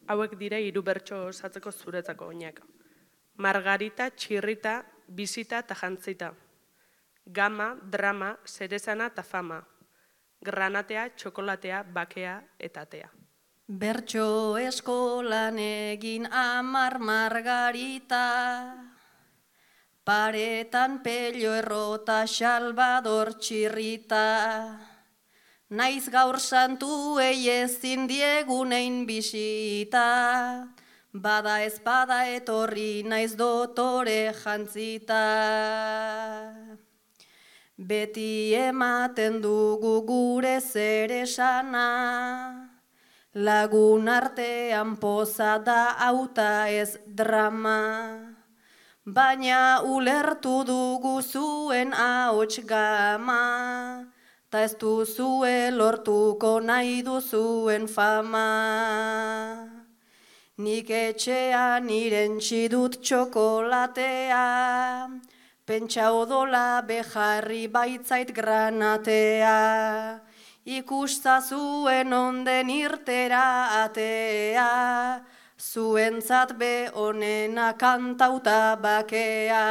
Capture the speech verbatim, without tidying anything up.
Hauek dire hiru bertso osatzeko zuretzako oinak. Margarita, txirrita, bizita eta jantzita. Gama, drama, zerezana eta fama. Granatea, txokolatea, bakea eta atea. Bertso eskolan egin amar margarita, paretan pello errota Salvador txirrita. Naiz gaur santuei ezin diegunein bisita, bada ez bada etorri naiz dotore jantzita. Beti ematen dugu gure zeresana, lagun artean poza da auta ez drama, baina ulertu dugu zuen ahots gama, ta ez duzue lortuko nahi duzuen fama. Nik etxean irentsi dut txokolatea, pentsa odola bejarri baitzait granatea, ikustazuen onden irtera atea, zuentzat be onena kantauta bakea.